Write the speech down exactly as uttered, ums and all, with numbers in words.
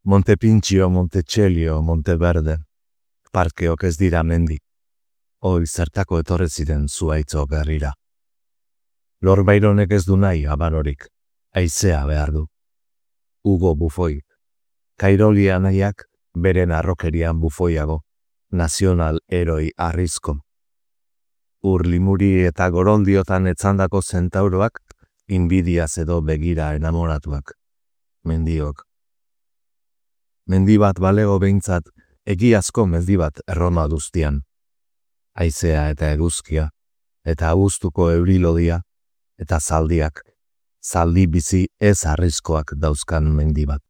Montepintxio, Montetxelio, Monteverde, parkeok ez dira mendi. Hoi zertako etorre ziren zuaitzo berrira. Lorbaironek ez du nahi abarorik, haizea behar du. Hugo Bufoi, Kairolia nahiak beren arrokerian bufoiago, nazional heroi arrizko. Ur limuri eta gorondiotan etzandako zentauroak, inbidiaz edo begira enamoratuak. Mendiok. Mendi bat balego behintzat, egiazko mendi bat Erroma duztian. Haizea eta eguzkia, eta abuztuko eurilodia, eta zaldiak, zaldi bizi ez arrizkoak dauzkan mendi bat.